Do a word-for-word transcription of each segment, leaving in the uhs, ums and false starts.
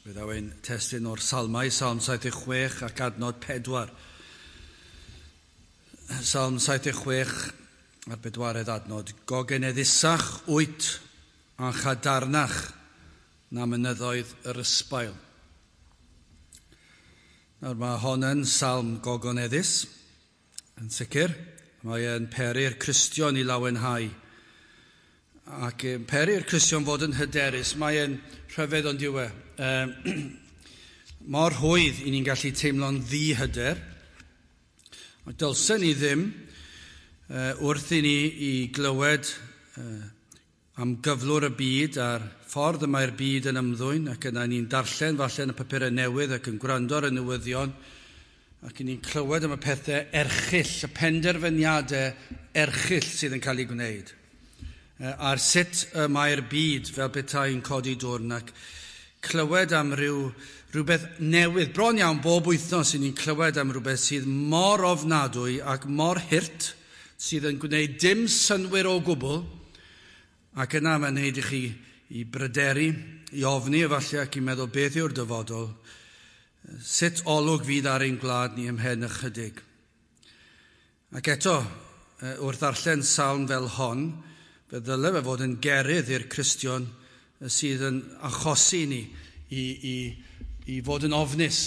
Fe ddaw ein testun o'r Salmau, Salm saith deg chwech ac adnod pedwar. Salm saith deg chwech a'r bedwaredd adnod. Gogeneddusach wyt a chadarnach na mynyddoedd yr ysbail. Nawr mae hon yn salm gogoneddus, yn sicr. Mae e'n peri'r Cristion i lawenhau. Ac yn peri'r Cristion fod yn hyderus. Mae e'n rhyfedd ond yw e. Um, mor rhwydd i ni'n gallu teimlo'n ddihyder. Ond dylsen ni ddim uh, wrth i ni i glywed uh, am gyflwr y byd a'r ffordd y mae'r byd yn ymddwyn, ac yna ni'n darllen falle yn y papurau newydd ac yn gwrando ar y newyddion, ac ni'n clywed am y pethau erchyll, y penderfyniadau erchyll sydd yn cael eu gwneud. A'r sut y mae'r byd fel petai'n codi dwrn, ac clywed am ryw, rhywbeth newydd. Bron iawn bob wythnos i ni'n clywed am rhywbeth sydd mor ofnadwy ac mor hurt, sydd yn gwneud dim synnwyr o gwbl, ac yna mae'n gwneud i chi i bryderu, i ofni efallai ac i meddwl beth yw'r dyfodol, sut olwg fydd ar ein gwlad ni ymhen ychydig. Ac eto, wrth ddarllen salm fel hon, fe ddyle fe fod yn gerydd i'r Cristion sydd yn achosi ni i, i, i fod yn ofnus.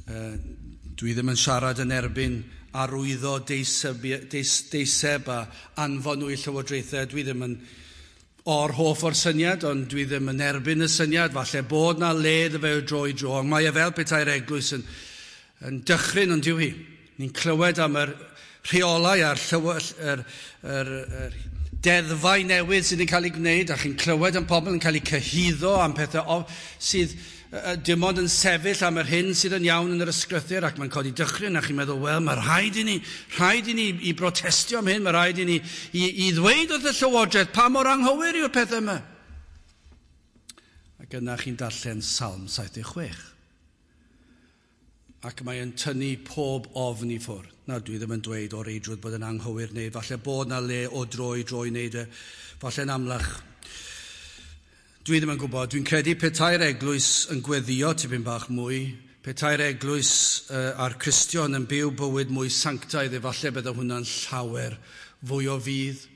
Dwi ddim yn siarad yn erbyn arwyddo deiseb, deis, deiseb a anfon nhw i llywodraethau. Dwi ddim yn o'r hoff o'r syniad, ond dwi ddim yn erbyn y syniad. Falle bod na le iddo fe o dro i dro, ond mae e fel petai'r eglwys yn, yn dychryn, ond dyw hi. Ni'n clywed am yr rheolau a'r llyw, yr, yr, yr deddfau newydd sydd yn cael eu gwneud, a chi'n clywed am pobl yn cael eu cyhuddo am pethau sydd dim ond yn sefyll am yr hyn sydd yn iawn yn yr ysgrythur, ac mae'n codi dychryn, a chi'n meddwl, wel, mae rhaid i ni, rhaid i ni i brotestio am hyn, mae rhaid i ni i, i ddweud wrth y llywodraeth pa mor anghywir yw'r pethau yma. Ac yna chi'n darllen Salm saith deg chwech. Ac mae'n tynnu pob ofn i ffwrdd. Nawr, dwi ddim yn dweud o reidrwydd bod yn anghywir neu falle bod na le o dro i dro i wneud e, falle'n amlach. Dwi ddim yn gwybod. Dwi'n credu petai'r eglwys yn gweddio tipyn bach mwy, petai'r eglwys uh, a'r Cristion yn byw bywyd mwy sanctaidd, efallai bydde hwnna'n llawer fwy o fudd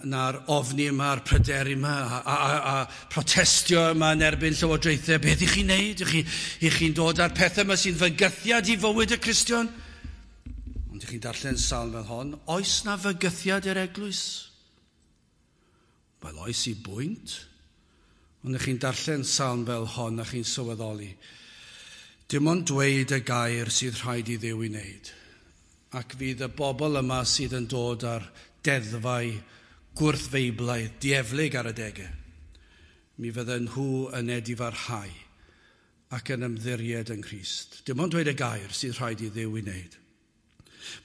na'r ofni yma, a'r pryderu yma, a, a, a, a protestio yma yn erbyn llywodraethau. Beth i chi'n neud? I chi, i chi'n dod â'r pethau yma sy'n fygythiad i fywyd y Cristion? Ond i chi'n darllen salm fel hon, oes na fygythiad i'r eglwys? Wel, oes i bwynt. Ond i chi'n darllen salm fel hon a chi'n sylweddoli, dim ond dweud y gair sydd rhaid i Dduw i wneud. Ac fydd y bobl yma sydd yn dod ar deddfau gwrthfeiblaidd, dieflig ar adegau, mi fydden nhw yn edifarhau ac yn ymddiried yng Nghrist. Dim ond dweud y gair sydd rhaid i Dduw i wneud.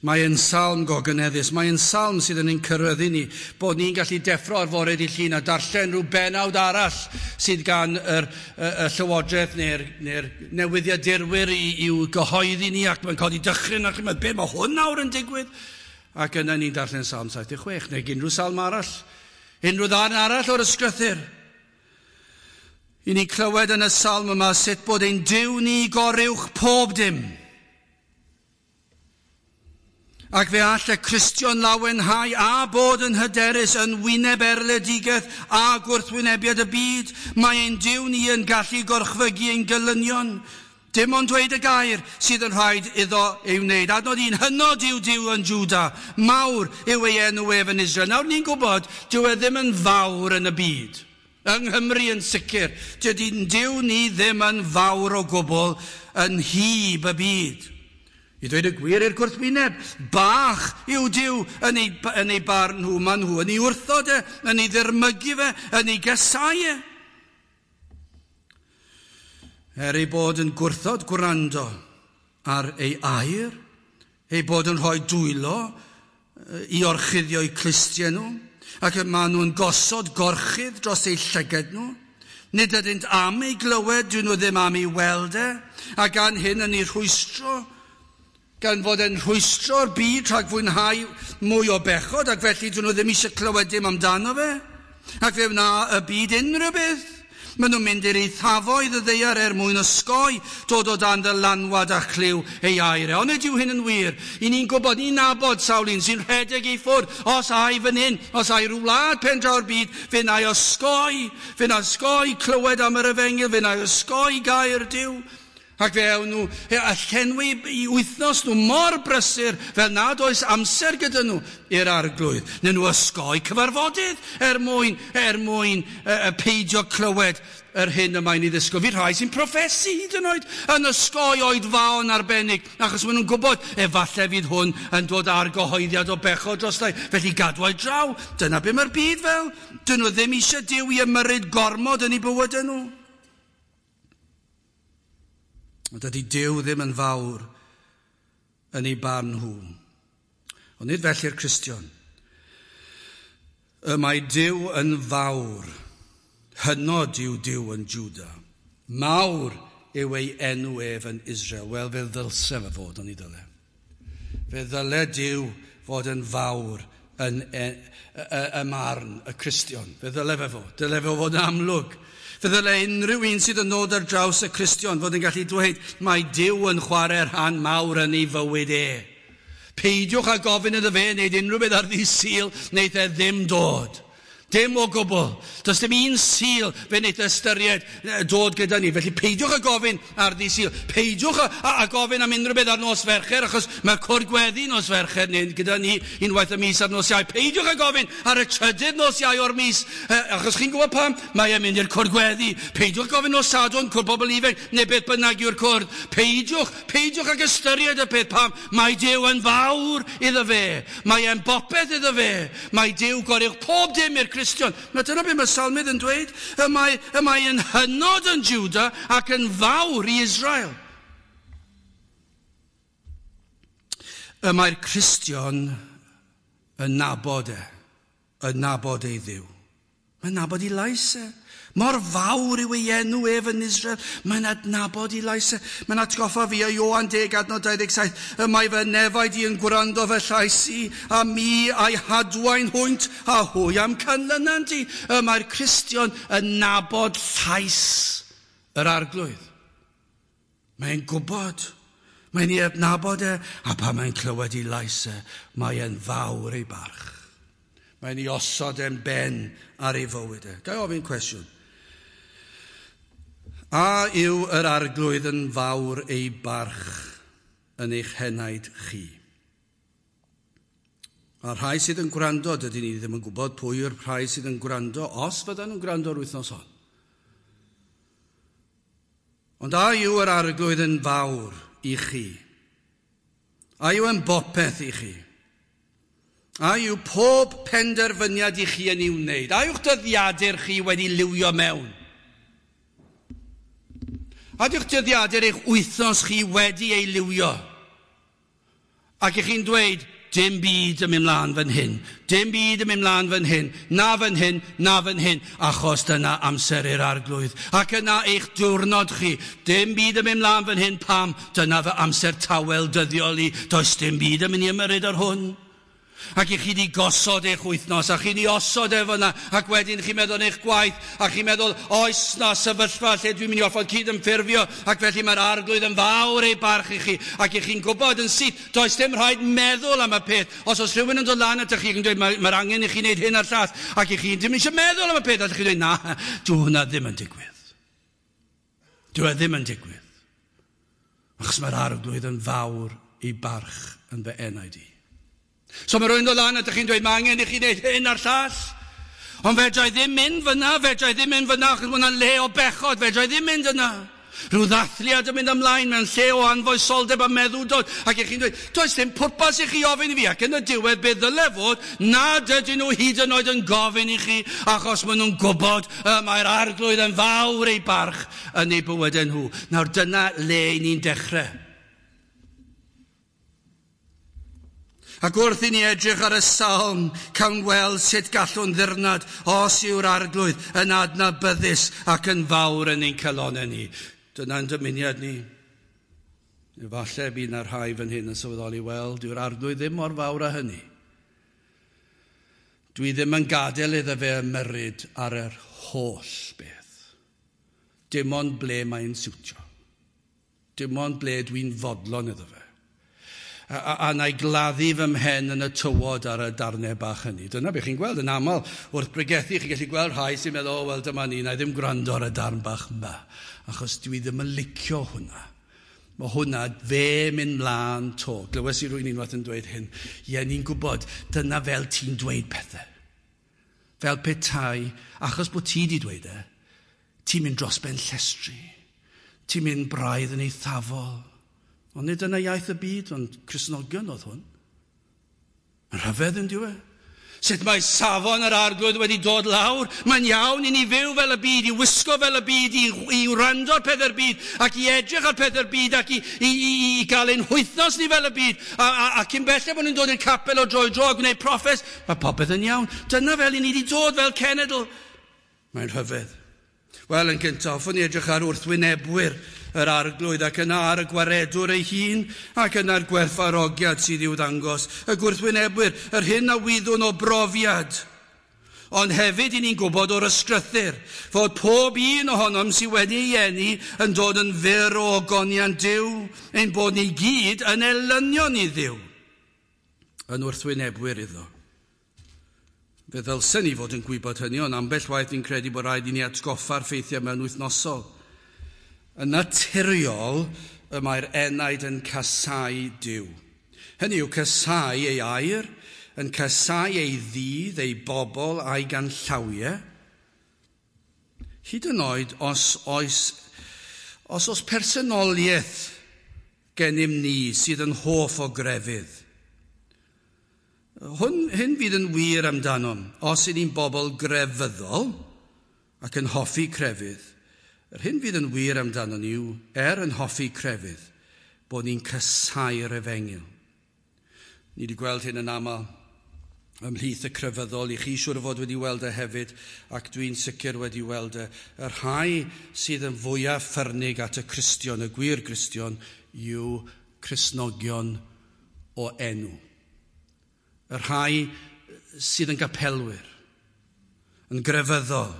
Mae e'n salm gogoneddus, mae e'n salm sydd yn ein cyrraeddu ni, bod ni'n gallu deffro ar fore dydd Llun a darllen rhyw benawd arall sydd gan yr, y, y llywodraeth neu'r, neu'r newyddiadurwyr i, i'w gyhoeddi ni, ac mae'n codi dychryn ac chi'n meddwl, be mae hwn nawr yn digwydd? Ac yna ni'n darllen Salm saith deg chwech, neu unrhyw salm arall, unrhyw ddarn arall o'r ysgrythur. I ni'n clywed yn y salm yma sut bod ein Duw ni goruwch pob dim. Ac fe all y Cristion lawenhau a bod yn hyderus yn wyneb erledigaeth a gwrthwynebiad y byd. Mae ein Duw ni yn gallu gorchfygu ein gelynion. Dim ond dweud y gair sydd yn rhaid iddo ei wneud. Adnod un, hynod yw Duw yn Jwda, mawr yw ei enw ef yn Israel. Nawr ni'n gwybod, dyw e ddim yn fawr yn y byd. Yng Nghymru yn sicr, dydy'n Duw ni ddim yn fawr o gwbl yn hyb y byd. I dweud y gwir i'r gwrthwyneb, bach yw Duw yn ei, yn ei barn nhw, maen nhw yn ei wrthod e, yn ei ddirmygu fe, yn ei gasau e. Er ei bod yn gwrthod gwrando ar ei air, ei bod yn rhoi dwylo i orchuddio eu clustiau nhw, ac maen nhw'n gosod gorchudd dros eu llygad nhw. Nid ydynt am ei glywed, dyn nhw ddim am ei weld e, a gan hyn yn ei rhwystro, gan fod e'n rhwystro'r byd rhag fwynhau mwy o bechod, ac felly dyn nhw ddim eisiau clywed dim amdano fe, ac fe wna y byd unrhyw beth. Maen nhw'n mynd i'r eithafoedd y ddaear er mwyn osgoi dod o dan ddylanwad a chlyw ei air. Ond nid yw hyn yn wir. I ni'n gwybod, ni'n nabod sawl un sy'n rhedeg i ffwrdd. Os ai fan hyn, os ai rhyw wlad pen draw'r byd, fe na i osgoi, fe na osgoi clywed am yr efengyl, fe na i osgoi gair Duw. Ac fe ewn nhw a llenwi i wythnos nhw mor brysur fel nad oes amser gyda nhw i'r Arglwydd. Neu nhw osgoi cyfarfodydd er mwyn, er mwyn uh, peidio clywed yr hyn y mae'n ei ddisgwyl. Fi rhai sy'n proffesu hyd yn oed yn osgoi oedfaon arbennig, achos maen nhw'n gwybod efallai fydd hwn yn dod ar gyhoeddiad o bechod drostai. Felly gadwai draw. Dyna be mae'r byd fel. Dyn nhw ddim eisiau Duw i ymyrryd gormod yn eu bywydau nhw. Ond dydy Duw ddim yn fawr yn ei barn nhw. Ond nid felly'r Cristion. Y mae Duw yn fawr. Hynod yw Duw yn Juda. Mawr yw ei enw ef yn Israel. Wel, fe ddylse fe fod, ond i ddyle. Fe ddyle Duw fod yn fawr yn y, y, y marn y Cristion. Fe ddyle fe fod. Dyle fe fod yn amlwg. Fe ddyle unrhyw un sydd yn dod ar draws y Cristion fod yn gallu dweud mae Duw yn chwarae rhan mawr yn ei fywyd e. Peidiwch â gofyn iddo fe wneud unrhyw beth ar ddydd Sul, wneith e ddim dod. Dim o gwbl. Does dim un Sul fe wneith ystyried dod gyda ni. Felly peidiwch â gofyn ar ddydd Sul. Peidiwch â, â, â gofyn am unrhyw beth ar nos Fercher, achos mae'r cwrdd gweddi nos Fercher neu gyda ni unwaith y mis ar nos Iau. Peidiwch â gofyn ar y trydydd nos Iau o'r mis, achos chi'n gwybod pam? Mae e'n mynd i'r cwrdd gweddi. Peidiwch gofyn nos Sadwrn, cwrdd bobl ifanc, neu beth bynnag yw'r cwrdd. Peidiwch, peidiwch ag ystyried y peth pam. Mae Duw yn fawr iddo fe. Mae e'n bopeth iddo fe. Mae Duw goruwch pob dim i'r Cristion. Mae dyna beth mae Salmydd yn dweud. Y mae, y mae yn hynod yn Juda ac yn fawr i Israel. Y mae'r Cristion yn nabod e, yn nabod ei Dduw. Mae'n nabod ei lais e. Mor fawr yw ei enw ef yn Israel. Mae'n adnabod ei lais e. Mae'n atgoffa fi o Ioan deg adnod dau ddeg saith. Y mae fy nefaid i yn gwrando fy llais i, a mi a'i hadwain hwynt, a hwy am canlynant i. Y mae'r Cristion yn nabod llais yr Arglwydd. Mae'n gwybod. Mae'n ei adnabod e, a pan mae'n clywed ei lais e, mae'n fawr ei barch. Mae'n ei osod e'n ben ar ei fywyd e. Ga i ofyn cwestiwn? A yw yr Arglwydd yn fawr ei barch yn eich henaid chi? A rhai sydd yn gwrando, dydyn ni ddim yn gwybod pwy yw'r rhai sydd yn gwrando, os fyddan nhw'n gwrando yr wythnos hon. Ond a yw yr Arglwydd yn fawr i chi? A yw yn bopeth i chi? A yw pob penderfyniad i chi yn ei wneud? A yw'ch dyddiadur chi wedi liwio mewn? A yw'ch dyddiadur eich wythnos chi wedi ei liwio? Ac i chi'n dweud, dim byd yn mynd mlaen fan hyn, dim byd yn mynd mlaen fan hyn, na fan hyn, na fan hyn, achos dyna amser i'r Arglwydd. Ac yna eich diwrnod chi, dim byd yn mynd mlaen fan hyn, pam? Dyna fy amser tawel dyddiol i, does dim byd yn mynd i ymyrryd ar hwn. Ac i chi di gosod eich wythnos, a chi di osod e fyna, ac wedyn chi'n meddwl eich gwaith, a chi'n meddwl, oes na sefyllfa lle dwi'n mynd i orfod cydymffurfio, ac felly mae'r Arglwydd yn fawr ei barch i chi, ac i chi'n gwybod yn syth, does dim rhaid meddwl am y peth. Os oes rhywun yn dod lan atoch chi yn dweud, mae'r mae angen i chi wneud hyn a'r llall, ac i chi ddim eisiau meddwl am y peth, a chi'n dweud, na, dwi hwnna ddim yn digwydd. Dwi e ddim yn digwydd. Achos mae'r Arglwydd yn fawr ei barch yn fy enaid i. So mae rhywun dod lan a ydych chi'n dweud, mae angen i chi wneud hyn a'r llall. Ond fedra i ddim mynd fyna, fedra i ddim mynd fyna, achos mae hwnna'n le o bechod, fedra i ddim mynd yna. Rhyw ddathliad yn mynd ymlaen mewn lle o anfoesoldeb a meddwdod. Ac i chi'n dweud, does dim pwrpas i chi ofyn i fi. Ac yn y diwedd, be ddyle fod, nad ydyn nhw hyd yn oed yn gofyn i chi, achos maen nhw'n gwybod y mae'r Arglwydd yn fawr ei barch yn eu bywydau nhw. Nawr dyna le ni'n dechrau. Ac wrth i ni edrych ar y salm, cawn weld sut gallwn ddirnad os yw'r Arglwydd yn adnabyddus ac yn fawr yn ein calonnau ni. Dyna'n dymuniad ni. Efallai bydd na rhai fan hyn yn sylweddoli, wel, dyw'r Arglwydd ddim mor fawr â hynny. Dwi ddim yn gadael iddo fe ymyrryd ar yr holl beth. Dim ond ble mae'n siwtio. Dim ond ble dwi'n fodlon iddo fe. A, a, a na i gladdu fy mhen yn y tywod ar y darnau bach hynny. Dyna beth chi'n gweld yn aml wrth bregethu. Chi'n gallu gweld rhai sy'n meddwl, o, wel, dyma ni, na i ddim gwrando ar y darn bach yma, achos dwi ddim yn licio hwnna. Mae hwnna fe mynd mlaen to. Glywes i rywun unwaith yn dweud hyn. Ie, ni'n gwybod, dyna fel ti'n dweud pethau. Fel petai, achos bod ti wedi dweud e, ti'n mynd dros ben llestri. Ti'n mynd braidd yn eithafol. Ond nid yna iaith y byd, ond Cristnogion oedd hwn. Yn rhyfedd yn diwe. Sut mae safon yr Arglwydd wedi dod lawr. Mae'n iawn i ni fyw fel y byd, i wisgo fel y byd, i, i wrando ar pethau'r byd, ac i edrych ar pethau'r byd, ac i, i, i, i gael ein wythnos ni fel y byd. A, a, a cyn belled bod nhw'n dod i'r capel o dro i dro a gwneud proffes, mae popeth yn iawn. Dyna fel i ni wedi dod fel cenedl. Mae'n rhyfedd. Wel, yn gyntaf, hoffwn i edrych ar wrthwynebwyr yr Arglwydd ac yna ar y gwaredwr ei hun ac yna'r gwerthfawrogiad sydd i'w ddangos. Y gwrthwynebwyr, yr hyn a wyddwn o brofiad. Ond hefyd i ni'n gwybod o'r ysgrythur fod pob un ohonom sydd wedi ei eni yn dod yn fyr o ogoniant Duw, ein bod ni gyd yn elynion i Dduw, yn wrthwynebwyr iddo. Fe ddylsen ni fod yn gwybod hynny, ond ambell waith ni'n credu bod rhaid i ni atgoffa'r ffeithiau mewn wythnosol. Yn naturiol, y mae'r enaid yn casáu Duw. Hynny yw casáu ei air, yn casáu ei ddydd, ei bobl a'i ganllawiau. Hyd yn oed os oes, os oes personoliaeth gennym ni sydd yn hoff o grefydd. Hwn, hyn fydd yn wir amdanom, os ydyn ni'n bobl grefyddol ac yn hoffi crefydd. Yr hyn fydd yn wir amdano ni yw, er yn hoffi crefydd, bod ni'n casáu'r efengyl. Ni wedi gweld hyn yn aml ymhlith y crefyddol, i chi siŵr o fod wedi weld e hefyd, ac dwi'n sicr wedi weld e. Y rhai sydd yn fwyaf ffyrnig at y Cristion, y gwir Gristion, yw Cristnogion o enw. Y rhai sydd yn gapelwyr, yn grefyddol,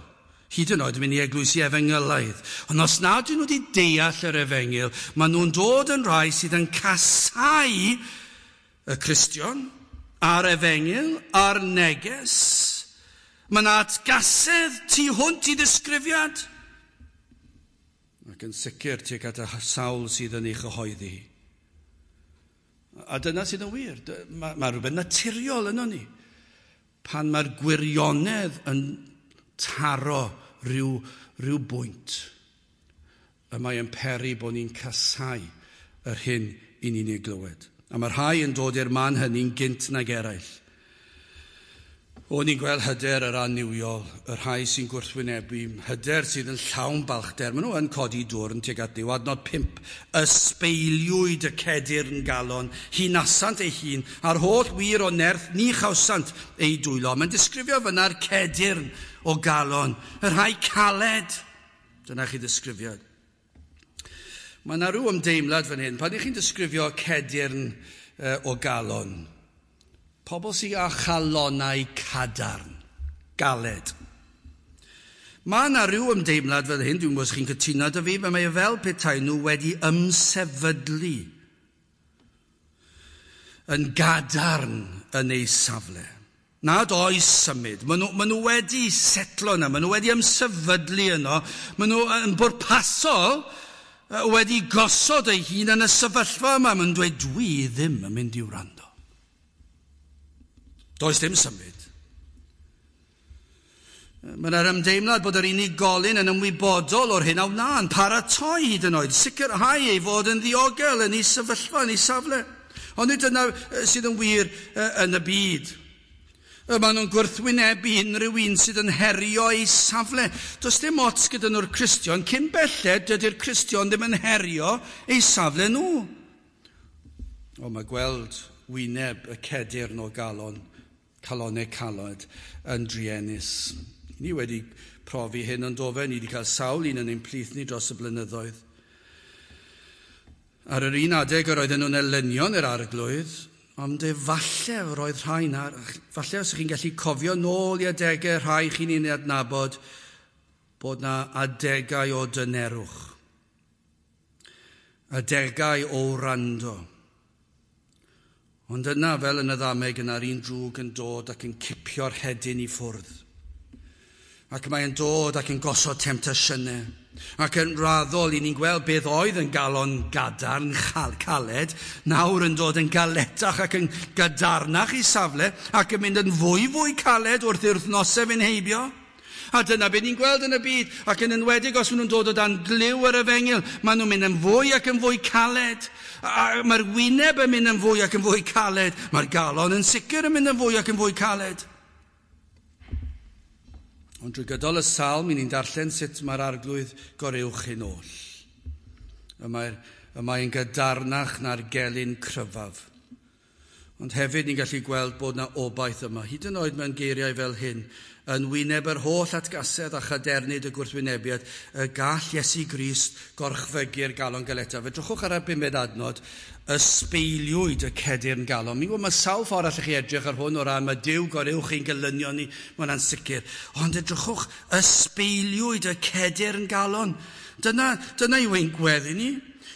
hyd yn oed yn mynd i eglwysi efengylaidd. Ond os nad ydyn nhw wedi deall yr efengyl, maen nhw'n dod yn rhai sydd yn casáu y Cristion, a'r efengyl, a'r neges. Mae yna atgasedd tu hwnt i ddisgrifiad. Ac yn sicr tuag at y sawl sydd yn ei chyhoeddi. A dyna sydd yn wir. Mae, mae rhywbeth naturiol yno ni. Pan mae'r gwirionedd yn taro rhyw, rhyw bwynt, y mae yn peri bod ni'n casáu yr hyn i ni'n ei glywed. A mae rhai yn dod i'r man hynny'n gynt nag eraill. O'n i'n gweld hyder yr annuwiol, y rhai sy'n gwrthwynebu, hyder sydd yn llawn balchder. Maen nhw yn codi dwrn tuag at Dduw. Adnod pump, ysbeiliwyd y cedyrn galon, hunasant ei hun, a'r holl wir o nerth ni chawsant ei dwylo. Mae'n disgrifio fyna'r cedyrn o galon, y rhai caled. Dyna chi ddisgrifiad. Mae yna rhyw ymdeimlad fan hyn. Pan ych chi'n disgrifio cedyrn o galon, pobl sydd â chalonnau cadarn, galed. Mae yna rhyw ymdeimlad fel hyn, dwi'n gwybod os chi'n cytuno â fi, mae e fel petai nhw wedi ymsefydlu yn gadarn yn eu safle. Nad oes symud. Maen nhw, maen nhw wedi setlo yna, maen nhw wedi ymsefydlu yno, maen nhw yn bwrpasol wedi gosod eu hun yn y sefyllfa yma. Maen nhw'n dweud, dwi ddim yn mynd i wrando. Does dim symud. Mae yna'r ymdeimlad bod yr unigolyn yn ymwybodol o'r hyn a wna, yn paratoi hyd yn oed, sicrhau ei fod yn ddiogel yn ei sefyllfa, yn ei safle. Ond nid dyna sydd yn wir yn y byd. Maen nhw'n gwrthwynebu unrhyw un sydd yn herio ei safle. Does dim ots gyda nhw'r Cristion, cyn belled dydy'r Cristion ddim yn herio ei safle nhw. O, mae gweld wyneb y cedyrn o galon, calonnau caled yn druenus. Ni wedi profi hyn yn dofe, ni wedi cael sawl un yn ein plith ni dros y blynyddoedd. Ar yr un adeg yr oedden nhw'n elynion yr Arglwydd, ond efallai roedd rhai na, falle os ych chi'n gallu cofio nôl i adegau rhai chi'n ei adnabod, bod na adegau o dynerwch, adegau o wrando. Ond yna, fel yn y ddameg, yna'r un drwg yn dod ac yn cipio'r hedyn i ffwrdd. Ac mae'n dod ac yn gosod temtasiynau. Ac yn raddol, i ni'n gweld beth oedd yn galon gadarn, caled, nawr yn dod yn galetach ac yn gadarnach i safle, ac yn mynd yn fwy fwy caled wrth i'r wythnosau fynd heibio. A dyna beth ni'n gweld yn y byd, ac yn enwedig os maen nhw'n dod o dan glyw yr efengyl, maen nhw'n mynd yn fwy ac yn fwy caled. A mae'r wyneb yn mynd yn fwy ac yn fwy caled. Mae'r galon yn sicr yn mynd yn fwy ac yn fwy caled. Ond drwy gydol y salm, i ni'n darllen sut mae'r arglwydd goruwch hyn oll. Y mae'r, y mae'n gadarnach na'r gelyn cryfaf. Ond hefyd ni'n gallu gweld bod na obaith yma, hyd yn oed mewn geiriau fel hyn, yn wyneb yr holl atgasedd a chadernid y gwrthwynebiad, y gall Iesu Grist gorchfygu'r galon galetaf. Edrychwch ar y bumed adnod, ysbeiliwyd y cedyrn galon. Mi'n gwybod mae sawl ffordd allwch chi edrych ar hwn o ran mae Duw goruwch chi'n gelynion ni, mae hwnna'n sicr. Ond edrychwch, ysbeiliwyd y cedyrn galon. Dyna, dyna yw ein gweddi ni.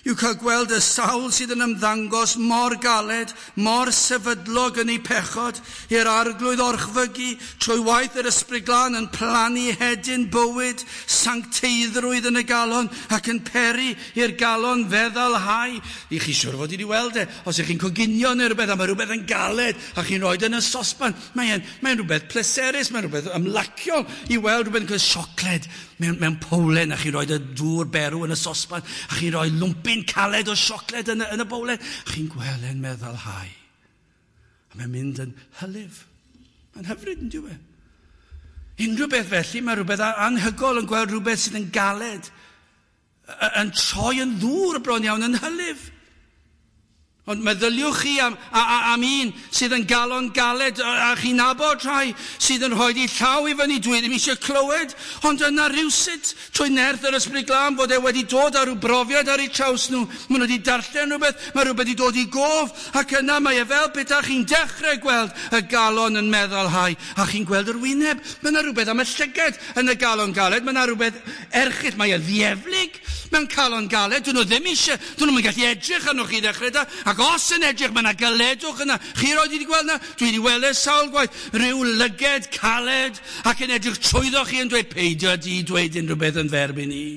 Yw cael gweld y sawl sydd yn ymddangos mor galed, mor sefydlog yn ei pechod, i'r arglwydd orchfygu, trwy waith yr Ysbryd Glân yn plannu hedyn bywyd, sancteiddrwydd yn y galon, ac yn peri i'r galon feddalhau. I chi siwr fod i wedi weld e, os ych chi'n coginio neu rhywbeth, a mae rhywbeth yn galed, a chi'n rhoi yn y sosban, mae'n mae rhywbeth pleserus, mae'n rhywbeth ymlaciol i weld rhywbeth yn cael siocled mewn, mewn powlen, a chi'n rhoi y dŵr berw yn y sosban, a chi'n rhoi lwmpyn caled o siocled yn y, yn y bowlen, a chi'n gweld e'n meddalhau. A mae'n mynd yn hylif. Mae'n hyfryd yn dyw e. Unrhyw beth felly, mae rhywbeth anhygol yn gweld rhywbeth sydd yn galed, yn troi yn ddŵr bron iawn, yn hylif. Ond meddyliwch chi am, a, a, am un sydd yn galon galed, a, a chi'n nabod rhai sydd yn rhoi i llaw i fyny, dwi ddim eisiau clywed, ond yna rywsut trwy nerth yr Ysbryd Glân fod e wedi dod ar ryw brofiad ar eu traws nhw. Maen nhw wedi darllen rhywbeth, mae rhywbeth wedi dod i gof, ac yna mae e fel petai chi'n dechrau gweld y galon yn meddalhau, a chi'n gweld yr wyneb. Mae yna rhywbeth am y llygad yn y galon galed, mae yna rhywbeth erchyll, mae e ddieflig mewn calon galed, dyn nhw ddim eisiau, dyn nhw'n gallu edrych arnoch chi ddechrau da, ac os yn edrych, mae yna galedwch yna. Chi roed wedi gweld yna? Dwi wedi weld e sawl gwaith. Rhyw lyged caled ac yn edrych trwyddo chi yn dweud, peidio di dweud unrhyw beth yn ferbyn i.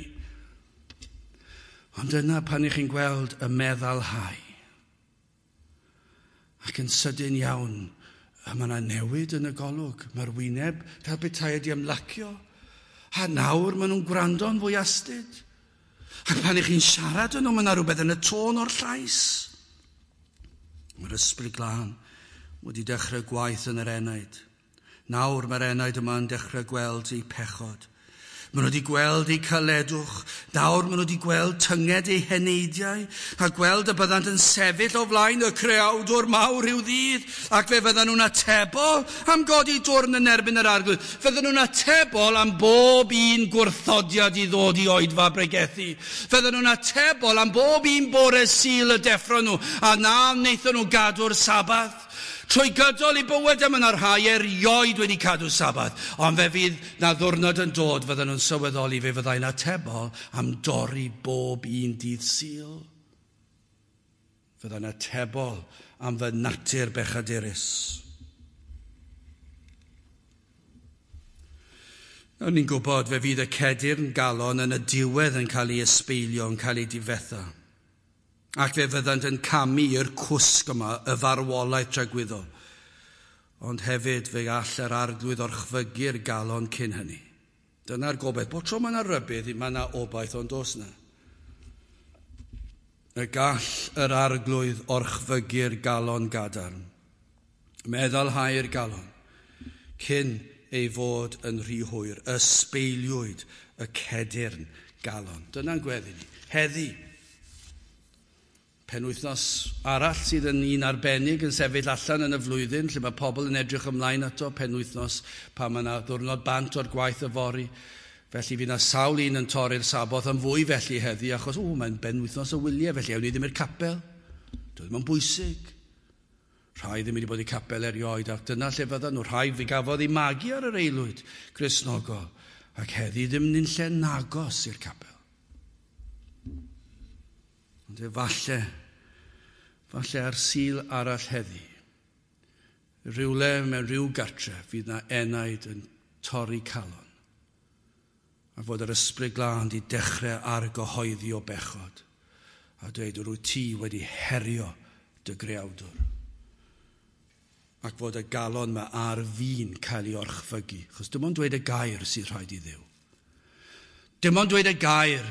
Ond yna pan ych chi'n gweld y meddalhau, ac yn sydyn iawn, a mae yna newid yn y golwg. Mae'r wyneb fel petai wedi ymlacio. A nawr maen nhw'n gwrando'n fwy astud. Ac pan ych chi'n siarad yn nhw, mae yna rhywbeth yn y tôn o'r llais. Mae'r Ysbryd Glân wedi dechrau gwaith yn yr enaid. Nawr mae'r enaid yma yn dechrau gweld eu pechod. Maen nhw wedi gweld eu caledwch. Nawr maen nhw wedi gweld tynged eu heneidiau a gweld y byddant yn sefyll o flaen y creawdwr mawr rhyw ddydd, ac fe fyddan nhw'n atebol am godi dwrn yn erbyn yr arglwydd. Fyddan nhw'n atebol am bob un gwrthodiad i ddod i oedfa bregethu. Fyddan nhw'n atebol am bob un bore Sul y deffro nhw, a na wnaethon nhw gadw'r Sabath. Trwy gydol i bywyd yma yna rhai erioed wedi cadw Sabath, ond fe fydd na ddwrnod yn dod fyddan nhw'n sylweddoli fe fyddai'n atebol am dorri bob un dydd Sul. Fyddai'n atebol am fy natur bechadurus. Nawr ni'n gwybod fe fydd y cedyrn galon yn y diwedd yn cael ei ysbeilio, yn cael ei difetha. Ac fe fyddant yn camu i'r cwsg yma, y farwolaeth tragwyddol. Ond hefyd fe all yr arglwydd orchfygu'r galon cyn hynny. Dyna'r gobaith. Bob tro mae yna rybudd, mae yna obaith, ond oes na. Y gall yr arglwydd orchfygu'r galon gadarn. Meddalhau'r galon cyn ei fod yn rhy hwyr. Ysbeiliwyd y cedyrn galon. Dyna'n gweddi ni. Heddi, penwythnos arall sydd yn un arbennig yn sefyll allan yn y flwyddyn, lle mae pobl yn edrych ymlaen ato, penwythnos pan mae yna ddiwrnod bant o'r gwaith yfory. Felly fydd yna sawl un yn torri'r Saboth yn fwy felly heddi, achos o, mae'n benwythnos o wyliau, felly ewn ni ddim i'r capel. Doedd ddim yn bwysig. Rhai ddim wedi bod i capel erioed, ac dyna lle fyddan nhw. Rhai fi gafodd eu magu ar yr aelwyd Gristnogol, Ac heddi ddim yn lle nagos i'r capel. Ond efallai, falle ar Sul arall heddi, rhywle mewn rhyw gartre fydd na enaid yn torri calon. A fod yr Ysbryd Glân di dechrau argyhoeddi o bechod a dweud rwyt ti wedi herio dy greawdwr. Ac fod y galon yma ar fin cael ei orchfygu. Chos dim ond dweud y gair sydd rhaid i Dduw. Dim ond dweud y gair.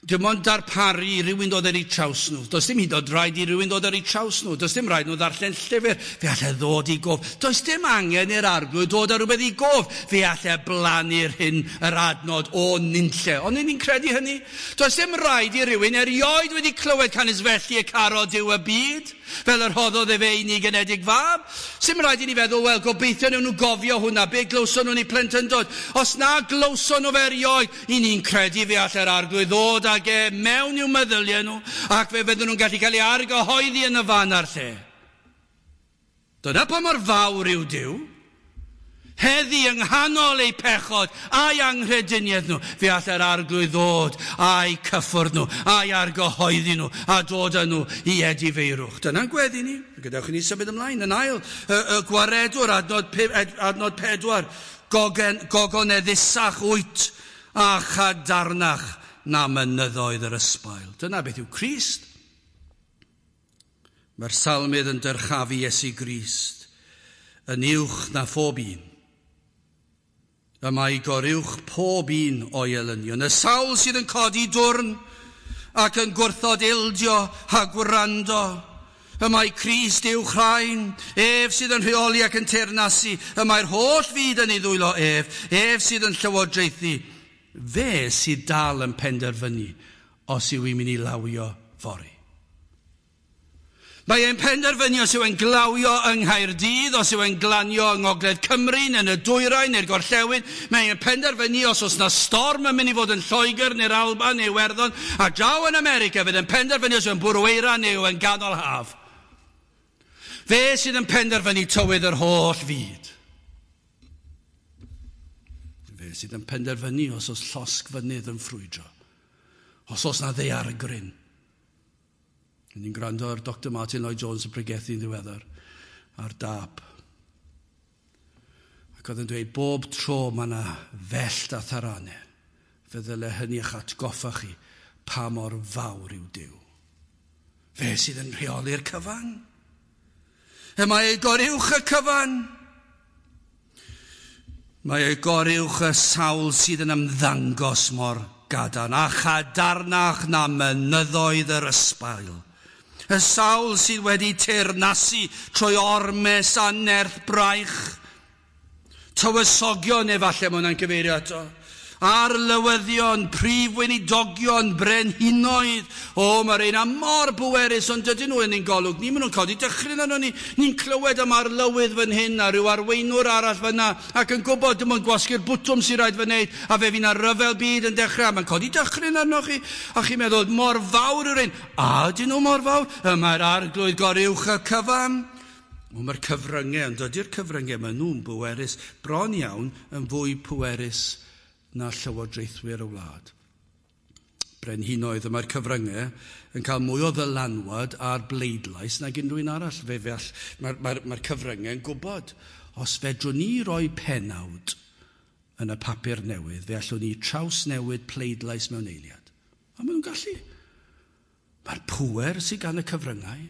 Dim ond darparu i rywun dod ar eu traws nhw. Does dim hyd yn oed rhaid i rywun dod ar eu traws nhw. Does dim rhaid nhw ddarllen llyfr. Fe allai ddod i gof. Does dim angen i'r Arglwydd dod ar rhywbeth i gof. Fe allai blannu'r hyn yr adnod o nunlle. Ond ni'n credu hynny. Does dim rhaid i rywun erioed wedi clywed canys felly y carodd Duw y byd, fel yr rhoddodd efe unig anedig fab. Sim rhaid i ni feddwl, wel, gobeithio newn nhw gofio hwnna, be glywson nhw'n eu plentyndod. Os na glywson nhw fe erioed, i ni'n credu fe allai'r Arglwydd ddod ag e mewn i'w meddyliau nhw, ac fe fydden nhw'n gallu cael ei argyhoeddi yn y fan a'r lle. Dyna pa mor fawr yw Duw. Heddi yng nghanol eu pechod a'i anghrediniaeth nhw, fe allai'r Arglwydd ddod a'i cyffwrdd nhw, a'i argyhoeddi nhw, a dod â nhw i edifeirwch. Dyna'n gweddi ni. Gadewch i ni symud ymlaen. Yn ail, y, y gwaredwr, adnod, adnod pedwar, gogen, gogoneddusach wyt a chadarnach na mynyddoedd yr ysbail. Dyna beth yw Crist. Mae'r salmydd yn dyrchafu Iesu Grist yn uwch na phob un. Y mae goruwch pob un o'i elynion. Y sawl sydd yn codi dwrn ac yn gwrthod ildio a gwrando. Y mae Crist uwch rhain, ef sydd yn rheoli ac yn teyrnasu. Y mae'r holl fyd yn ei ddwylo ef, ef sydd yn llywodraethu. Fe sydd dal yn penderfynu os yw i'n mynd i lawio fory. Mae e'n penderfynu os yw e'n glawio yng Nghaerdydd, os yw e'n glanio yng Ngogledd Cymru, neu yn y dwyrain, neu'r gorllewin. Mae e'n penderfynu os oes na storm yn mynd i fod yn Lloegr, neu'r Alban, neu Iwerddon, a draw yn America, fydd e'n penderfynu os yw'n bwrw eira neu yn ganol haf. Fe sydd yn penderfynu tywydd yr holl fyd. Fe sydd yn penderfynu os oes llosg fynydd yn ffrwydro, os oes na ddaeargryn. Ni'n gwrando ar Doctor Martin Lloyd-Jones yn pregethu'n ddiweddar ar dâp. Ac oedd yn dweud, bob tro mae yna fellt a tharanau, fe ddyle hynny eich atgoffa chi pa mor fawr yw Duw. Fe sydd yn rheoli'r cyfan. Y mae ei goruwch y cyfan. Mae ei goruwch y sawl sydd yn ymddangos mor gadarn a chadarnach na mynyddoedd yr ysbail. Y sawl sydd wedi teyrnasu trwy ormes a nerth braich. Tywysogion efallai mae hwnna'n cyfeirio ato. Arlywyddion, prif weinidogion, brenhinoedd. O, mae'r un mor bwerus, ond dydyn nhw yn ein golwg ni. Maen nhw'n codi dychryn arno ni. Ni'n clywed am arlywydd fan hyn a rhyw arweinwr arall fan na, ac yn gwybod dim ond gwasgu'r bwtwm sy'n rhaid fy wneud, a fe fydd 'na ryfel byd yn dechrau. Mae'n codi dychryn arno chi, a chi'n meddwl, mor fawr yw'r un. A ydyn nhw mor fawr? Y mae'r Arglwydd goruwch y cyfan. O, mae'r cyfryngau, ond dydy'r cyfryngau, maen nhw'n bwerus, bron iawn yn fwy pwerus na llywodraethwyr y wlad. Brenhinoedd, y mae'r cyfryngau yn cael mwy o ddylanwad ar bleidlais nag unrhyw un arall. Fe feall, mae'r mae, mae cyfryngau yn gwybod, os fedrwn ni roi pennawd yn y papur newydd, fe allwn ni trawsnewid pleidlais mewn eiliad. A maen nhw'n gallu. Mae'r pŵer sydd gan y cyfryngau.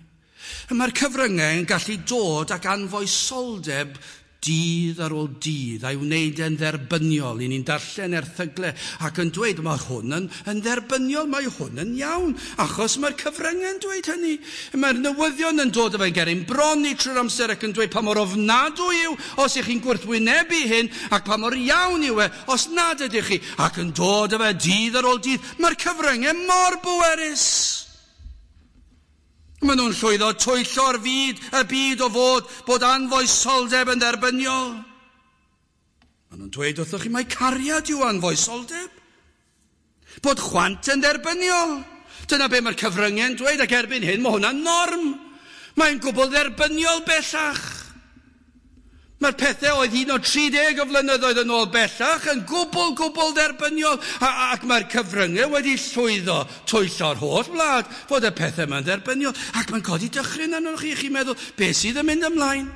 Y mae'r cyfryngau yn gallu dod ac anfoesoldeb dydd ar ôl dydd, a'i wneud e'n dderbyniol. I ni'n darllen erthygle ac yn dweud, mae hwn yn, yn dderbyniol, mae hwn yn iawn, achos mae'r cyfryngau'n dweud hynny. Mae'r newyddion yn dod efo'n gerin bron ni trwy'r amser ac yn dweud pa mor ofnadwy yw os ych chi'n gwrthwynebu hyn, ac pa mor iawn yw e os nad ydych chi, ac yn dod efo dydd ar ôl dydd. Mae'r cyfryngau mor bwerus. Maen nhw'n llwyddo twyllo'r fyd, y byd o fod bod anfoesoldeb yn dderbyniol. Maen nhw'n dweud wrthoch chi mai cariad yw anfoesoldeb. Bod chwant yn dderbyniol. Dyna be mae'r cyfryngau'n dweud, ac erbyn hyn mae hwnna'n norm. Mae'n gwbl dderbyniol bellach. Mae'r pethau oedd un o tri deg o flynyddoedd yn ôl bellach yn gwbl, gwbl dderbyniol, ac mae'r cyfryngau wedi llwyddo twyllo'r holl wlad fod y pethau yma'n dderbyniol, ac mae'n codi dychryn arnoch chi, chi'n meddwl, beth sydd yn mynd ymlaen?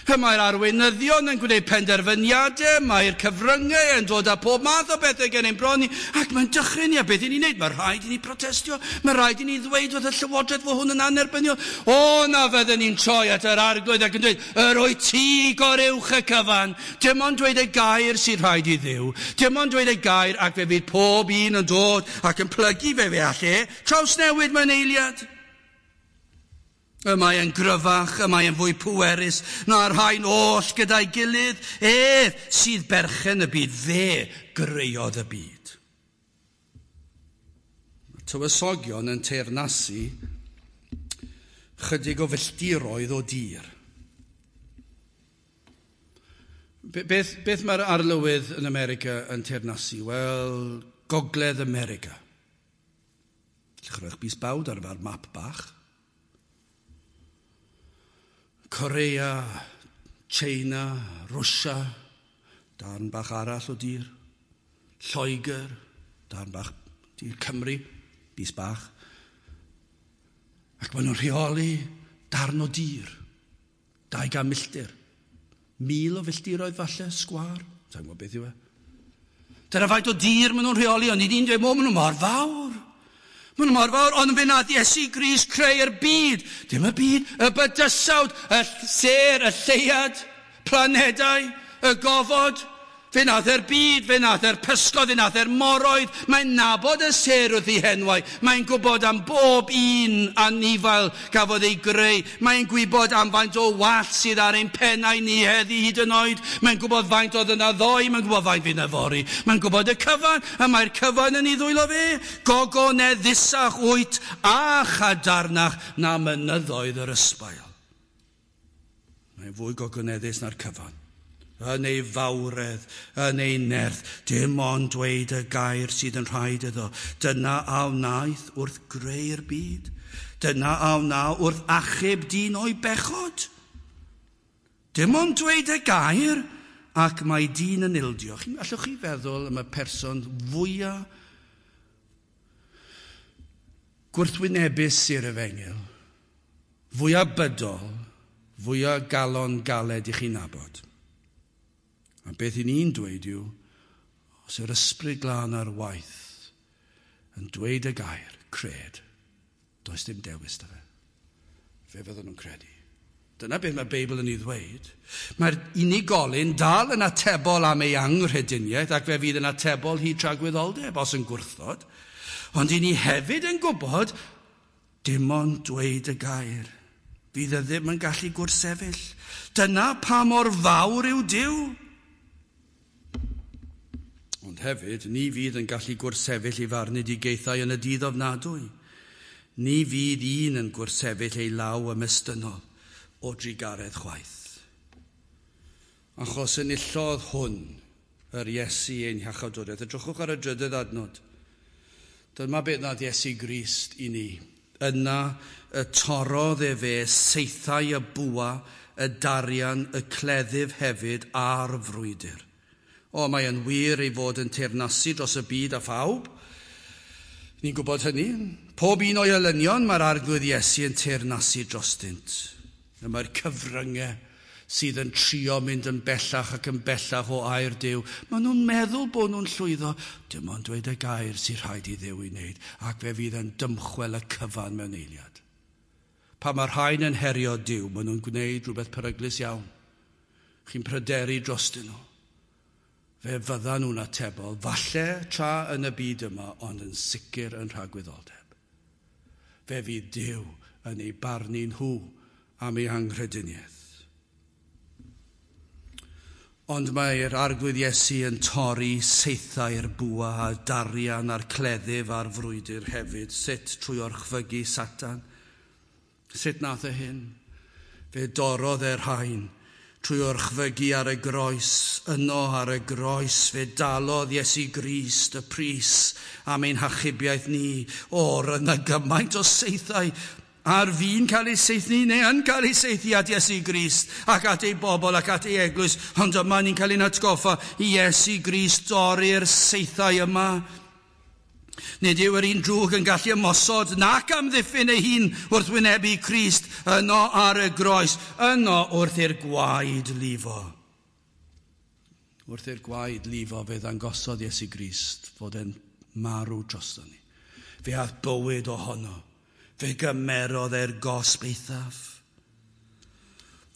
Mae'r arweinyddion yn gwneud penderfyniadau, mae'r cyfryngau yn dod â pob math o bethau gen ein bron ni, ac mae'n dychryn ni, a beth i ni'n neud? Mae rhaid i ni protestio, mae rhaid i ni ddweud wrth y llywodraeth fod hwn yn annerbyniol. O, na fydden ni'n troi at yr Arglwydd ac yn dweud, yr wyt ti goruwch y cyfan. Dim ond dweud y gair sy'n rhaid i Dduw. Dim ond dweud y gair ac fe fydd pob un yn dod ac yn plygu fe fe all e. Trawsnewid mewn eiliad. Y mae yn gryfach, y mae yn fwy pwerus na'r rhain oll gyda'i gilydd. Ef sydd berchen y byd, fe greuodd y byd. Mae tywysogion yn teyrnasu chydig o filltiroedd o dir. Beth, beth mae'r arlywydd yn America yn teyrnasu? Wel, Gogledd America. Allwch roi'ch bys bawd ar efo'r map bach. Korea, China, Rwsia, darn bach arall o dir. Lloegr, darn bach dir Cymru, bys bach. Ac maen nhw'n rheoli darn o dir, dau gan milltir. Mil o filltiroedd falle, sgwâr, sa'n gwybod beth yw e. Dyna faint o dir maen nhw'n rheoli, ond i ni'n dweud, maen nhw mor fawr. Maen nhw mor fawr, ond fe nath Iesu Grist creu'r byd. Dim y byd, y bydysawd, y sêr, y lleuad, planedau, y gofod. Fe nath e'r byd, fe nath e'r pysgod, fe nath e'r moroedd. Mae'n nabod y sêr wrth ei henwau. Mae'n gwybod am bob un anifail gafodd ei greu. Mae'n gwybod am faint o wallt sydd ar ein pennau ni heddi hyd yn oed. Mae'n gwybod faint oedd yna ddoe, mae'n gwybod faint fydd yna fory. Mae'n gwybod y cyfan, a mae'r cyfan yn ei ddwylo fe. Gogoneddusach wyt a chadarnach na mynyddoedd yr ysbail. Mae'n fwy gogoneddus na'r cyfan. Yn ei fawredd, yn ei nerth, dim ond dweud y gair sydd yn rhaid iddo. Dyna a wnaeth wrth greu'r byd. Dyna a wna wrth achub dyn o'i bechod. Dim ond dweud y gair, ac mae dyn yn ildio. Allwch chi feddwl am y person fwyaf gwrthwynebus i'r efengyl, fwyaf bydol, fwyaf galon galed i chi nabod. A beth i ni'n dweud yw, os yw'r ysbryd glân ar waith yn dweud y gair, cred, does dim dewis da fe. Fe fydden nhw'n credu. Dyna beth mae'r Beibl yn ei ddweud. Mae'r unigolyn dal yn atebol am ei anghrediniaeth ac fe fydd yn atebol hyd tragwyddoldeb os yn gwrthod. Ond i ni hefyd yn gwybod, dim ond dweud y gair. Fydd e ddim yn gallu gwrthsefyll. Dyna pa mor fawr yw Duw. Ond hefyd, ni fydd yn gallu gwrthsefyll i farnedigaethau yn y dydd ofnadwy. Ni fydd un yn gwrthsefyll ei law ymestynnol o drugaredd chwaith. Achos enillodd hwn yr Iesu ein hiachawdwriaeth. Edrychwch ar y drydydd adnod. Dyma beth nath Iesu Grist i ni. Yna y torrodd efe saethau y bwa, y darian, y cleddyf hefyd a'r frwydr. O, mae yn wir ei fod yn teyrnasu dros y byd a phawb. Ni'n gwybod hynny. Pob un o'i elynion mae'r Arglwydd Iesu yn teyrnasu drostynt. Mae'r cyfryngau sydd yn trio mynd yn bellach ac yn bellach o air Duw. Maen nhw'n meddwl bod nhw'n llwyddo. Dim ond dweud y gair sy'n rhaid i Dduw i wneud, ac fe fydd yn dymchwel y cyfan mewn eiliad. Pan mae'r rhain yn herio Duw, maen nhw'n gwneud rhywbeth peryglus iawn. Chi'n pryderu drostyn nhw. Fe fyddan nhw'n atebol, falle tra yn y byd yma, ond yn sicr yn rhagwyddoldeb. Fe fydd Duw yn ei barnu nhw am ei anghrediniaeth. Ond mae'r Arglwydd Iesu yn torri saethau'r bwa a darian a'r cleddyf a'r frwydr hefyd. Sut trwy orchfygu Satan? Sut nath e hyn? Fe dorrodd e'r rhain trwy orchfygu ar y groes. Yno ar y groes fe dalodd Iesu Grist y pris am ein hachubiaeth ni. O, roedd yna gymaint o saethau. Ar fi'n cael ei saethu neu yn cael ei saethu at Iesu Grist ac at ei bobl ac at ei eglwys, ond yma ni'n cael ein atgoffa i Iesu Grist dorri'r saethau yma. Nid yw yr un drwg yn gallu ymosod nac amddiffyn ei hun wrth wynebu Crist yno ar y groes, yno wrth i'r gwaed lifo. Wrth i'r gwaed lifo fe ddangosodd Iesu Grist fod e'n marw drosto ni. Fe ath bywyd ohono. Fe gymerodd e'r gosb eithaf.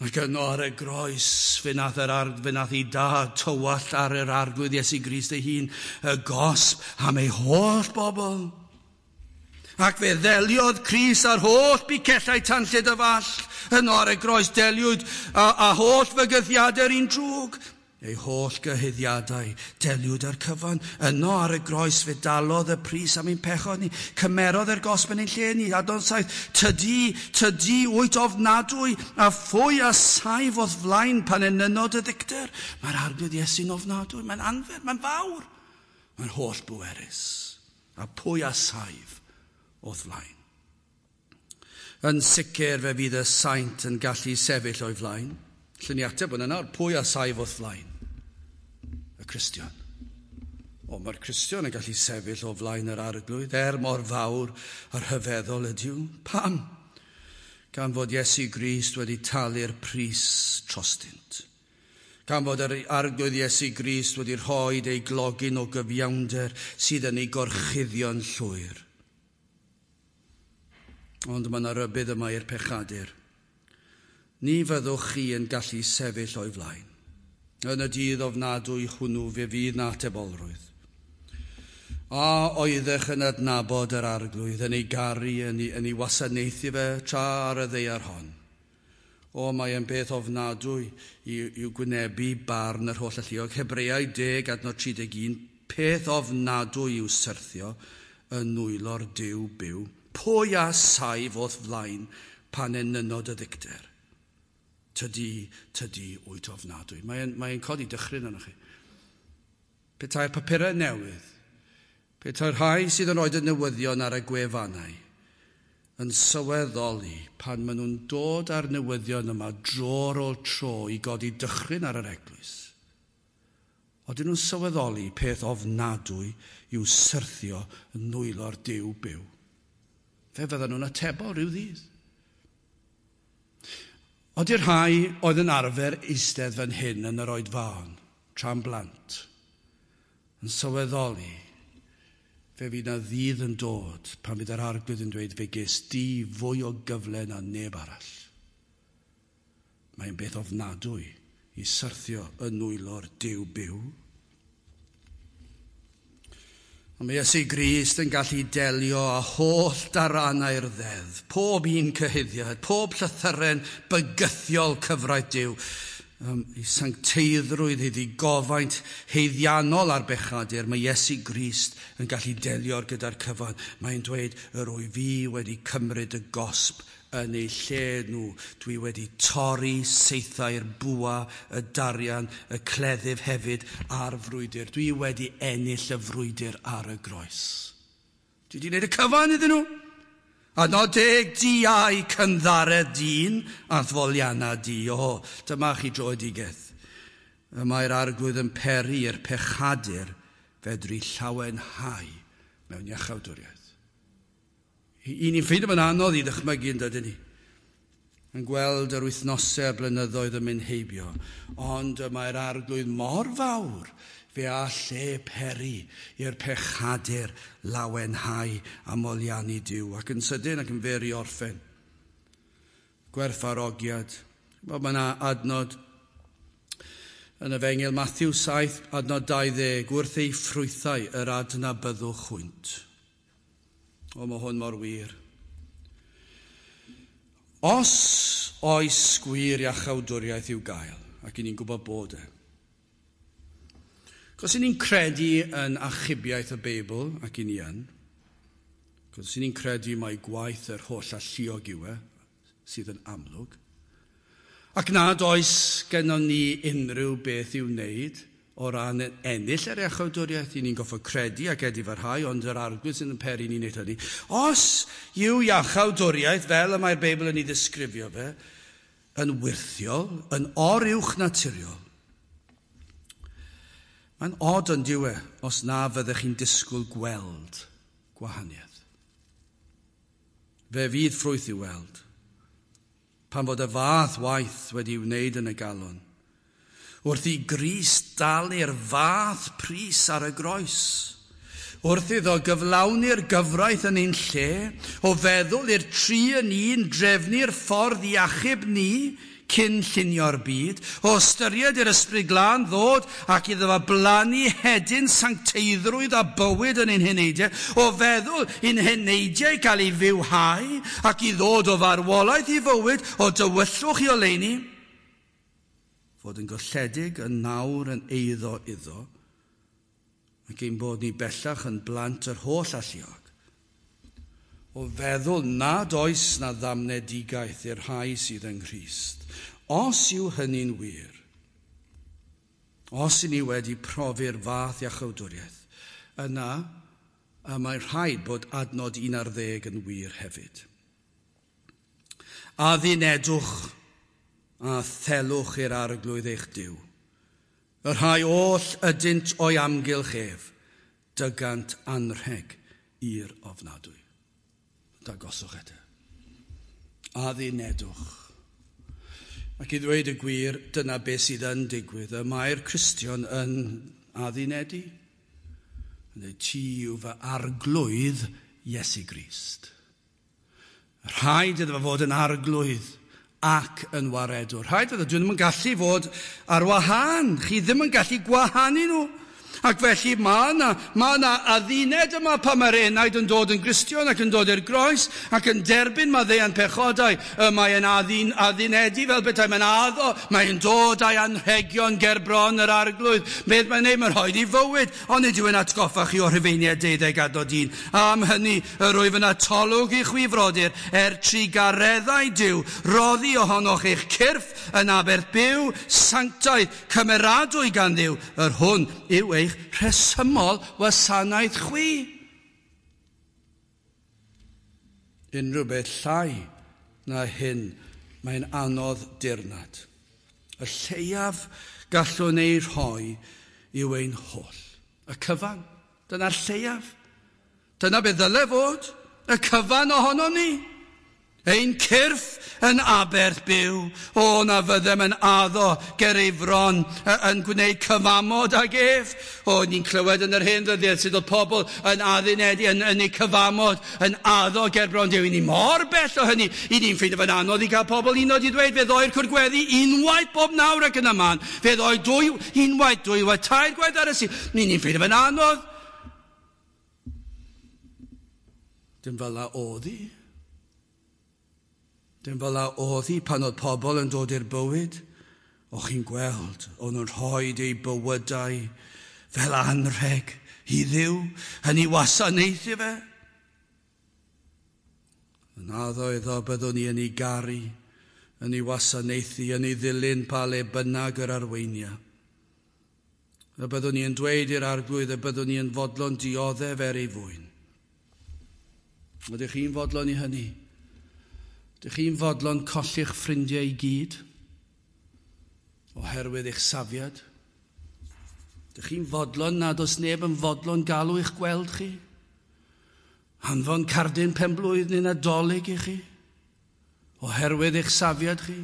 Ac yno ar y groes, fe nath, yr ar, fe nath ei dad tywallt ar yr Arglwydd Iesu Grist ei hun, y gosb am ei holl bobl. Ac fe ddeliodd Crist ar holl bicellau tanllyd y fall. Yno ar y groes deliwyd a, a holl fygythiadau'r un drwg. Ei holl gyhuddiadau, deliwyd ar cyfan. Yno ar y groes fe dalodd y pris am ein pechod ni. Cymerodd yr gosb yn ein lle ni. Adnod saith, tydi, tydi wyt ofnadwy, a phwy a saif o'th flaen pan enynod y ddicter. Mae'r Arglwydd Iesu'n ofnadwy, mae'n anferth, mae'n fawr. Mae'n holl bwerus. A pwy a saif o'th flaen. Yn sicr fe fydd y saint yn gallu sefyll o'i flaen. Llun ni ateb hwnna nawr, pwy a saif o'th flaen? Y Cristion. O, mae'r Cristion yn gallu sefyll o flaen yr Arglwydd, er mor fawr a rhyfeddol ydyw. Pam? Gan fod Iesu Grist wedi talu'r pris trostynt. Gan fod yr Arglwydd Iesu Grist wedi rhoi ei glogyn o gyfiawnder sydd yn ei gorchuddio'n llwyr. Ond mae yna rybudd yma i'r pechadur. Ni fyddwch chi yn gallu sefyll o'i flaen. Yn y dydd ofnadwy hwnnw fe fydd na atebolrwydd. A oeddech yn adnabod yr Arglwydd, yn ei garu, yn ei, yn ei wasanaethu fe tra ar y ddaear hon. O, mae e'n beth ofnadwy i'w gwynebu barn yr holl alluog. Hebreaid deg adnod tri deg un, peth ofnadwy i'w syrthio yn nwylo'r Duw byw. Pwy a saif o'th flaen pan enynod y ddicter? Tydi, tydi wyt ofnadwy. Mae'n mae codi dychryn arnoch chi. Petai'r papurau newydd, petai'r rhai sydd yn rhoi y newyddion ar y gwefannau, yn sylweddoli pan maen nhw'n dod â'r newyddion yma dro ar ôl tro i godi dychryn ar yr eglwys. Oedden nhw'n sylweddoli peth ofnadwy i'w syrthio yn nwylo'r Duw byw. Fe fydden nhw'n atebol rhyw ddydd. Oeddi'r rhai oedd yn arfer eistedd fan hyn yn yr oedfaon, tra'n blant, yn sylweddoli, fe fydd na ddydd yn dod pan fydd yr Arglwydd yn dweud fe ges di fwy o gyfle na neb arall. Mae'n beth ofnadwy i syrthio yn nwylo'r Duw byw. Ond mae Iesu Grist yn gallu delio â holl daranau'r ddeddf, pob un cyhuddiad, pob llythyren bygythiol cyfraith Duw, um, ei sancteiddrwydd, ei ddigofaint haeddiannol ar bechadur, mae Iesu Grist yn gallu delio gyda'r cyfan. Mae'n dweud, yr wyf fi wedi cymryd y gosb yn eu lle nhw. Dwi wedi torri saethau'r bwa, y darian, y cleddyf hefyd a'r frwydr. Dwi wedi ennill y frwydr ar y groes. Dwi wedi gwneud y cyfan iddyn nhw. Adnod deg, diau cynddaredd dyn a ddfolianna di. O, dyma chi dröedigaeth. Y mae'r Arglwydd yn peri i'r pechadur fedru llawenhau mewn iachawdwriaeth. I ni'n ffeindio fo'n anodd i ddychmygu yn dydyn ni. Yn gweld yr wythnosau a blynyddoedd yn mynd heibio. Ond y mae'r Arglwydd mor fawr fe all e peri i'r pechadur lawenhau a moliannu Duw. Ac yn sydyn ac yn fer i orffen. Gwerthfawrogiad. Mae yna adnod yn Efengyl Matthew saith, adnod dau ddeg, wrth ei ffrwythau yr adnabyddwch hwynt. O, mae hwn mor wir. Os oes gwir iachawdwriaeth i'w gael, ac i ni'n gwybod bod e. Cos i ni'n credu yn achubiaeth y Beibl, ac i ni yn, cos i ni'n credu mai gwaith yr holl alluog yw e, sydd yn amlwg, ac nad oes gennon ni unrhyw beth i'w wneud o ran ennill yr iachawdwriaeth, i ni'n goffod credu ac edifarhau, ond yr Arglwydd sydd yn peri ni'n neud hynny. Os yw iachawdwriaeth, fel y mae'r Beibl yn ei ddisgrifio fe, yn wyrthiol, yn oruwch naturiol, mae'n od yn diwe os na fyddech chi'n disgwyl gweld gwahaniaeth. Fe fydd ffrwyth i'w weld, pan fod y fath waith wedi wneud yn y galon, wrth i Grist dalu'r fath pris ar y groes, wrth iddo gyflawni'r gyfraith yn ein lle, o feddwl i'r tri yn un drefnu'r ffordd i achub ni cyn llunio'r byd, o ystyried i'r Ysbryd Glân ddod ac iddo fo blannu hedyn sancteiddrwydd a bywyd yn ein heneidiau, o feddwl i'n heneidiau gael ei fywhau ac i ddod o farwolaeth i fywyd, o dywyllwch i oleuni, fod yn golledig yn nawr yn eiddo iddo, ac ein bod ni bellach yn blant yr holl alluog, o feddwl nad oes na ddamnedigaeth i'r rhai sydd yng Nghrist. Os yw hynny'n wir, os i ni wedi profi'r fath iachawdwriaeth, yna y mae rhaid bod adnod un ar ddeg yn wir hefyd. Addunedwch a thelwch i'r Arglwydd eich Duw. Y rhai oll ydynt o'i amgylch ef, dygant anrheg i'r ofnadwy. Dangoswch eto. Addunedwch. Ac i ddweud y gwir, dyna beth sydd yn digwydd. Y mae'r Cristion yn addunedu. Yn dweud, ti yw fy Arglwydd Iesu Grist. Rhaid iddo fod yn Arglwydd ac yn waredwr. Rhaid iddo, dwi ddim yn gallu fod ar wahân. Chi ddim yn gallu gwahanu nhw. Ac felly mae yna, mae yna adduned yma pan mae'r enaid yn dod yn Gristion ac yn dod i'r groes ac yn derbyn maddeuant pechodau. Mae'n addun, addunedu fel bethau, mae'n addo, mae'n dod â'i anrhegion ger bron yr Arglwydd. Beth mae'n neud, mae'n rhoi i fywyd, ond nid yw'n atgoffa chi o Rhufeiniaid deuddeg adnod un. Am hynny, yr wyf yn atolwg i chwi frodyr, er trugareddau Duw, roddi ohonoch eich cyrff yn aberth byw, sanctaidd, cymeradwy gan Dduw, yr hwn yw eich rhesymol wasanaeth chwi. Unrhyw beth llai na hyn, mae'n anodd dirnad. Y lleiaf gallwn ei rhoi yw ein holl. Y cyfan, dyna'r lleiaf. Dyna beth ddyle fod, y cyfan ohonon ni. Ein cyrff yn aberth byw, o na fyddem yn addo ger ei fron yn gwneud cyfamod ag ef. O, ni'n clywed yn yr hen ddyddiau sydd oedd pobl yn addunedu, yn, yn eu cyfamod, yn addo ger bron Duw. I ni mor bell o hynny, i ni'n ffeindio fe'n anodd i gael pobl unod i ddweud, fe ddoi'r cwrgweddi unwaith bob nawr ac yn y man, fe ddoi dwy, unwaith, dwywaith, tair gwaith ar y Sul. Ni'n ffeindio fe'n anodd. Dim fel la oedd hi. Dim fel a oedd hi pan oedd pobl yn dod i'r bywyd. O chi'n gweld, o'n nhw'n rhoi eu bywydau fel anrheg i Dduw, yn ei wasanaethu fe. Yn addo iddo byddwn ni yn ei garu, yn ei wasanaethu, yn ei ddilyn pa le bynnag yr arweinia. Y byddwn ni yn dweud i'r Arglwydd y byddwn ni yn fodlon dioddef er ei fwyn. Ydych chi'n fodlon i hynny? Ydych chi'n fodlon colli'ch ffrindiau i gyd oherwydd eich safiad? Ydych chi'n fodlon nad oes neb yn fodlon galw eich gweld chi? Anfon cardyn penblwydd neu Nadolig i chi oherwydd eich safiad chi?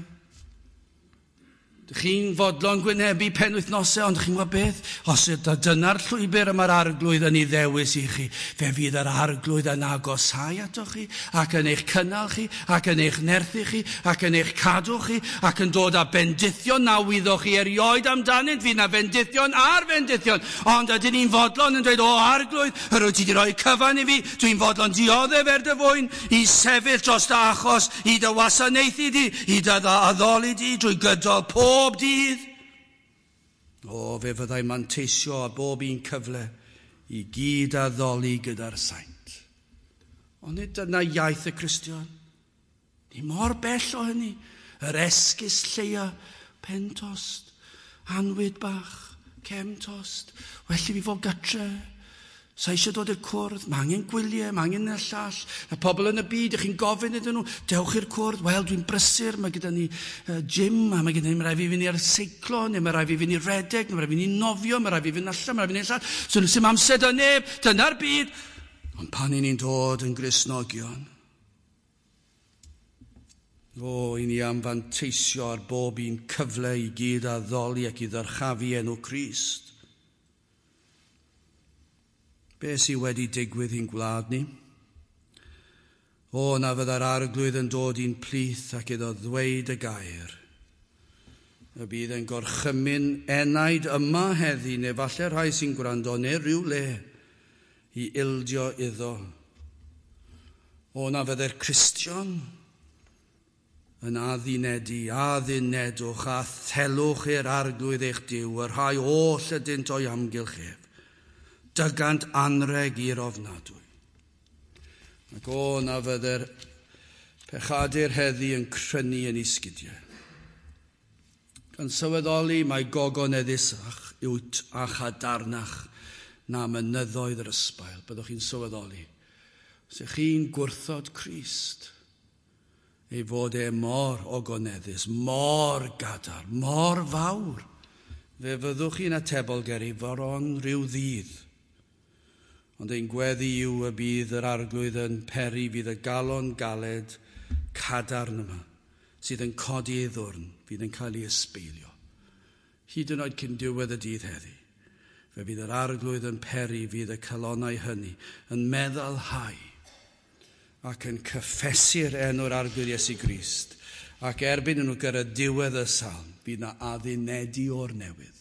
Ydych chi'n fodlon gwynebu penwythnosau, ond chi'n gwybod beth? Os dyna'r llwybr y mae'r Arglwydd yn ei ddewis i chi, fe fydd yr Arglwydd yn agosáu atoch chi, ac yn eich cynnal chi, ac yn eich nerthu chi, ac yn eich cadw chi, ac yn dod â bendithion na wyddoch chi erioed amdanynt, fydd na fendithion ar fendithion. Ond ydyn ni'n fodlon yn dweud, o Arglwydd, yr wyt ti wedi rhoi cyfan i fi, dwi'n fodlon dioddef er dy fwyn, i sefyll dros dy achos, i dy wasanaethu di, i dy addoli di, drwy gydol pob bob dydd. O, fe fyddai manteisio a bob un cyfle i gyd addoli gyda'r saint. Ond nid dyna iaith y Cristion. Ni mor bell o hynny. Yr esgus lleia, pentost, anwyd bach, Cem tost, well i fi fod gatre. Sa eisiau dod i'r cwrdd, mae angen gwyliau, mae angen y llall. Y pobl yn y byd, ych chi'n gofyn iddyn nhw, dewch i'r cwrdd, wel, dwi'n brysur, mae gyda ni uh, gym, a mae gyda ni, mae rhaid fi fynd i'r seiclo, neu mae rhaid fi fynd i redeg, neu mae rhaid fi fynd i nofio, mae rhaid fi fynd allan, mae rhaid fi fynd allan. So, nhw sy'n amser da neb, dyna'r byd. Ond pan i ni'n dod yn Gristnogion, o, i ni am fanteisio ar bob un cyfle i gyd addoli ac i ddyrchafu enw Crist. Be sydd wedi digwydd i'n gwlad ni? O, na fydda'r arglwydd yn dod i'n plith ac iddo ddweud y gair. Y bydd yn gorchymyn enaid yma heddi, neu falle rhai sy'n gwrando, neu rhyw le i ildio iddo. O, na fydde'r Cristion yn addunedu, addunedwch a thelwch i'r arglwydd eich Duw, y rhai oll ydynt o'i amgylch ef. Dygant anreg i'r ofnadwy. Ac o, na fydde'r pechadur heddi yn crynu yn ei sgidiau. Gan sylweddoli mae gogoneddusach yw't a chadarnach na mynyddoedd yr ysbail. Byddwch chi'n sylweddoli. Os ych chi'n gwrthod Crist, ei fod e mor ogoneddus, mor gadarn, mor fawr, fe fyddwch chi'n atebol ger ei foron rhyw ddydd. Ond ein gweddi yw y bydd yr arglwydd yn peri fydd y galon galed cadarn yma, sydd yn codi ei ddwrn, fydd yn cael ei ysbeilio. Hyd yn oed cyn diwedd y dydd heddi, fe fydd yr arglwydd yn peri fydd y calonnau hynny yn meddalhau ac yn cyffesu'r enw'r arglwydd Iesu Grist. Ac erbyn nhw gyrraedd diwedd y salm, fydd na addunedu o'r newydd.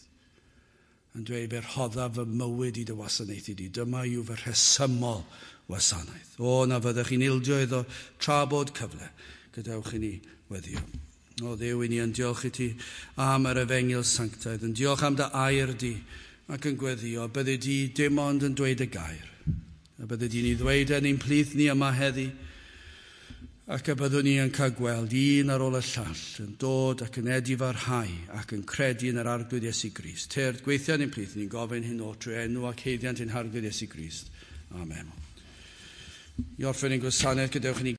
Yn dweud, fe rhoddaf fy mywyd i dy wasanaethu di. Dyma yw fy rhesymol wasanaeth. O, na fyddech chi'n ildio iddo tra bod cyfle. Gadewch i ni weddio. O, Dduw, i ni yn diolch i ti am yr efengyl sanctaidd, yn diolch am dy air di ac yn gweddio. Byddi di dim ond yn dweud y gair. A byddi di'n ei ddweud yn ein plith ni yma heddi. Ac y byddwn ni yn cael gweld un ar ôl y llall yn dod ac yn edifarhau ac yn credu yn yr arglwydd Iesu Grist. Tyrd, gweithio yn ein plith ni'n gofyn hyn o trwy enw ac haeddiant ein harglwydd Iesu Grist. Amen. I orffen ein gwasanaeth, gadewch i ni